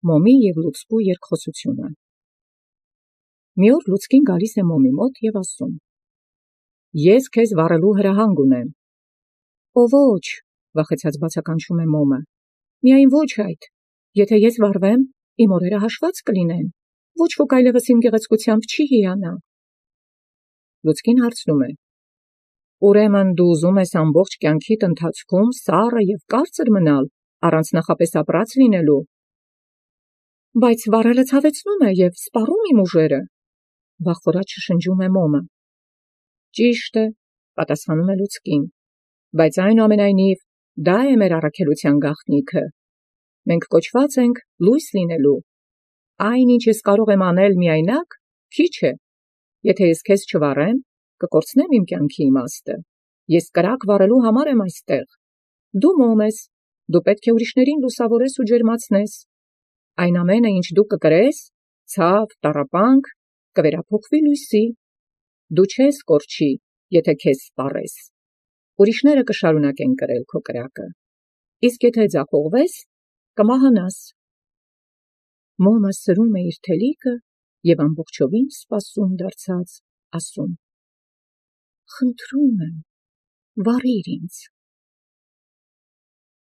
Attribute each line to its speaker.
Speaker 1: Մոմի և լուցկու երկխոսությունը։ Մի օր լուցկին գալիս է մոմի մոտ և ասում. «Ես քեզ վառելու հրահանգ ունեմ»։ «Ո ոչ», վախեցած բացականչում է մոմը, «միայն ոչ այդ, եթե ես վառվեմ, իմ օրերը հաշված կլինեն, ոչ ոք այլևս իմ գեղեցկությամբ չի հիանա»։ Լուցկին հարցնում է. «Ուրեմն դու ուզում ես ամբողջ կյանքիդ ընթացքում սառը և կարծր մնալ, առանց նախապես ապրած լինելու»։ «Բայց վառելը ցավեցնում է և սպառում իմ ուժերը», վախվորած շշնջում է մոմը։ «Ճիշտ է», պատասխանում է լուցկին, «բայց այնուամենայնիվ դա է մեր առաքելության գաղտնիքը։ Մենք կոչված ենք լույս լինելու։ Այն, ինչ ես կարող եմ անել միայնակ, քիչ է։ Եթե ես քեզ չվառեմ, կկորցնեմ իմ կյանքի իմաստը։ Ես կրակ վառելու համար եմ այստեղ։ Դու մոմ ես, դու պետք է ուրիշներին լուսավորես ու ջերմացնես։ Այն ամենը, ինչ դու կկրես, ցավ, տառապանք, կվերափոխվի լույսի։ Դու չես կորչի, եթե քեզ սպառես։ Ուրիշները կշարունակեն կրել քո կրակը, իսկ եթե ձախողվես, կմահանաս»։ Մոմը սրում է իր թելիկը և ամբողջովին սպասում դարձած ասում. «Խնդրում եմ, վառիր ինձ»։